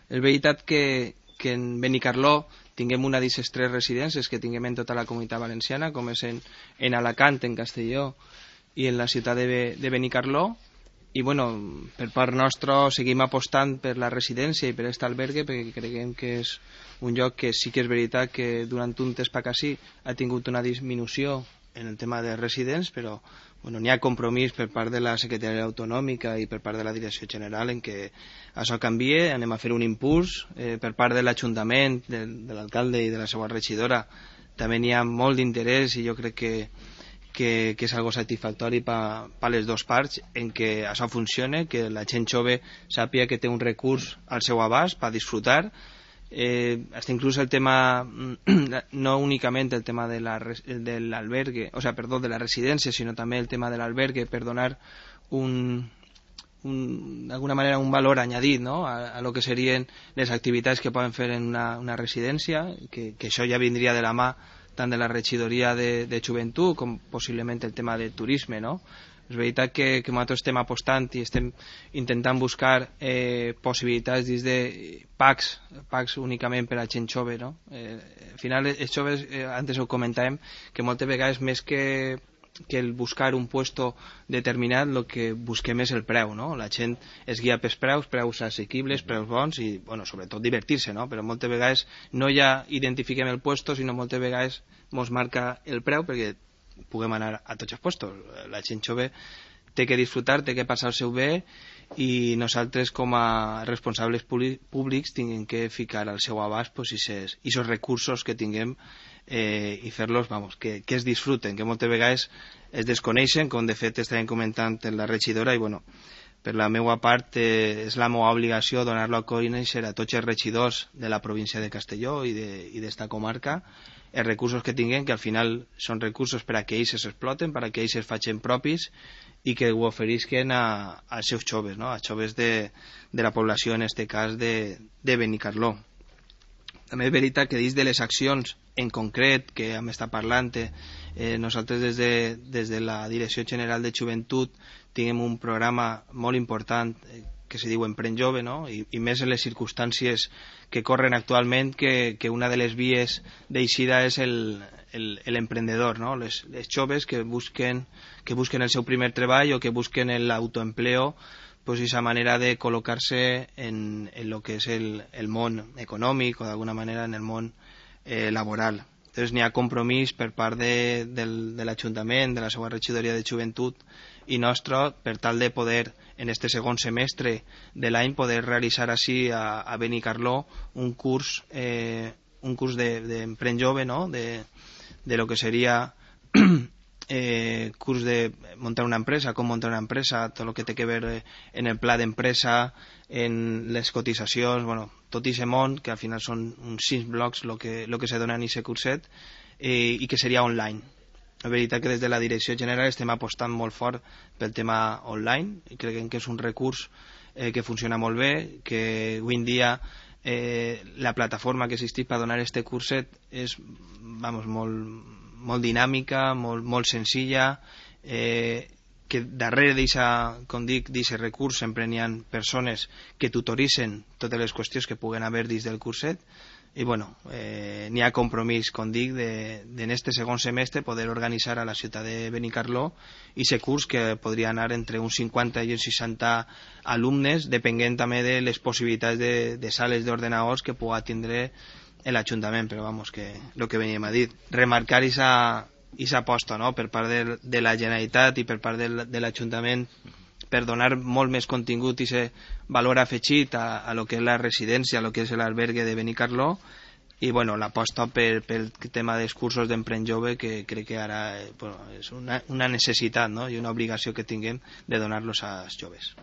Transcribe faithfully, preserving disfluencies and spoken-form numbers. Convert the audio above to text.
És veritat que, que en Benicarló tinguem una d'aquestes tres residències que tinguem en tota la comunitat valenciana, com és en, en Alacant, en Castelló i en la ciutat de, de Benicarló. I bueno, per part nostra seguim apostant per la residència i per aquest albergue, perquè creiem que és un lloc que sí que és veritat que durant un temps per sí ha tingut una disminució en el tema de residents, però bueno, n'hi ha compromís per part de la Secretaria Autonòmica i per part de la Direcció General en què això canvie. Anem a fer un impuls eh, per part de l'Ajuntament, de, de l'alcalde i de la seva regidora. També n'hi ha molt d'interès i jo crec que que, que és algo satisfactori per pa les dues parts en què això funcione, que la gent jove sàpiga que té un recurs al seu abast per disfrutar. Eh, hasta incluso el tema, no únicamente el tema de la, del albergue, o sea, perdón, de la residencia, sino también el tema del albergue, per donar un, un, de alguna manera un valor añadit, ¿no?, a, a lo que serien les activitats que poden fer en una, una residència, que, que això ja vindria de la mà tant de la regidoria de, de joventut com possiblement el tema de turisme, no? És veritat que, que nosaltres estem apostant i estem intentant buscar eh, possibilitats dins de packs, packs únicament per a gent jove, no? Eh, al final, els joves, eh, antes ho comentàvem, que moltes vegades més que, que el buscar un puesto determinat, el que busquem és el preu, no? La gent es guia pels preus, preus assequibles, preus bons i, bueno, sobretot divertir-se, no? Però moltes vegades no ja identifiquem el puesto, sinó moltes vegades ens marca el preu perquè puguem anar a tots els puestos. La gent jove té que disfrutar, té que passar-se-ho bé i nosaltres com a responsables públics tinguem que ficar al seu abast pues, aquests recursos que tinguem eh, i fer-los, vamos, que, que es disfruten, que moltes vegades es desconeixen, com de fet estàvem comentant en la regidora i bueno, per la meva part eh, és la meva obligació donar-lo a conèixer a tots els regidors de la província de Castelló i d'esta de, comarca els recursos que tinguem, que al final són recursos per a que ells s'exploten, per a que ells es facin propis i que ho oferisquen a, als seus joves, no? A joves de, de la població, en aquest cas de, de Benicarló. També és veritat que dins de les accions en concret que hem estat parlant, eh, nosaltres des de, des de la Direcció General de Joventut tinguem un programa molt important eh, que se diu Emprèn Jove, no? I, i més en les circumstàncies que corren actualment, que, que una de les vies d'eixida és l'emprendedor, no? Les, les joves que busquen, que busquen el seu primer treball o que busquen l'autoempleo, pues esa manera de col·locar-se en, en lo que és el, el món econòmic o d'alguna manera en el món eh, laboral. Entonces n'hi ha compromís per part de, del, de l'Ajuntament, de la seva regidoria de joventut i nostra per tal de poder en este segon semestre de l'any poder realitzar així a, a Benicarló un curs eh, un curs d'Emprèn de, Jove, no? de, de lo que seria eh, curs de muntar una empresa, com muntar una empresa, tot el que té que veure en el pla d'empresa, en les cotitzacions, bueno, tot i aquest món, que al final són uns sis blocs el que, lo que se dona en aquest curset, eh, i que seria online. La veritat que des de la Direcció General estem apostant molt fort pel tema online i creiem que és un recurs eh, que funciona molt bé, que avui en dia eh, la plataforma que existeix per donar este curset és vamos, molt, molt dinàmica, molt, molt senzilla, eh, que darrere d'aquest, com dic, d'aquest recurs sempre n'hi ha persones que tutoritzen totes les qüestions que puguen haver dins del curset i bueno, eh, n'hi ha compromís, com dic, en este segon semestre poder organitzar a la ciutat de Benicarló i aquest curs que podria anar entre uns cinquanta i uns seixanta alumnes, depenent també de les possibilitats de, de sales d'ordenadors que pugui tindre l'Ajuntament, però vamos, que el que veníem a dir, remarcar aquesta aposta, no?, per part de, de la Generalitat i per part de, de l'Ajuntament per donar molt més contingut i aquest valor afegit a, a lo que és la residència, a lo que és l'albergue de Benicarló i bueno, l'aposta per, pel tema dels cursos d'Emprèn Jove que crec que ara eh, bueno, és una, una necessitat, no?, i una obligació que tinguem de donar-los als joves.